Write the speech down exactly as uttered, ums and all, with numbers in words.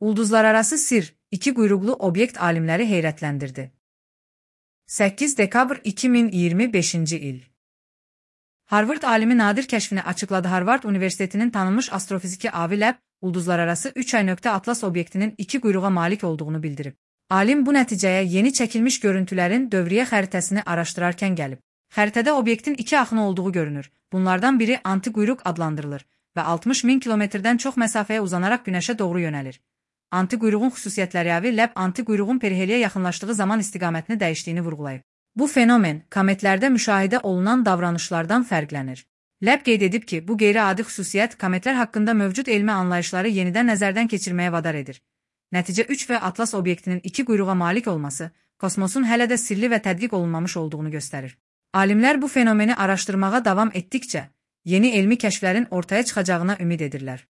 Ulduzlararası sir, iki quyruqlu obyekt alimləri heyrətləndirdi. səkkiz dekabr iki min iyirmi beşinci il. Harvard alimi nadir kəşfini açıqladı. Harvard Universitetinin tanınmış astrofiziki Avi Loeb, ulduzlararası üç ay atlas obyektinin iki quyruğa malik olduğunu bildirib. Alim bu nəticəyə yeni çəkilmiş görüntülərin dövriyyə xəritəsini araşdırarkən gəlib. Xəritədə obyektin iki axını olduğu görünür. Bunlardan biri anti-quyruq adlandırılır və altmış min kilometrdən çox məsafəyə uzanaraq Günəşə doğru yönəlir. Anti-quyruğun xüsusiyyətləri Avi Loeb anti-quyruğun periheliyə yaxınlaşdığı zaman istiqamətini dəyişdiyini vurğulayıb. Bu fenomen kometlərdə müşahidə olunan davranışlardan fərqlənir. Loeb qeyd edib ki, bu qeyri-adi xüsusiyyət kometlər haqqında mövcud elmi anlayışları yenidən nəzərdən keçirməyə vadar edir. Nəticə üç və atlas obyektinin iki quyruğa malik olması, kosmosun hələ də sirli və tədqiq olunmamış olduğunu göstərir. Alimlər bu fenomeni araşdırmağa davam etdikcə, yeni elmi kəşflərin ortaya çıxacağına ümid edirlər.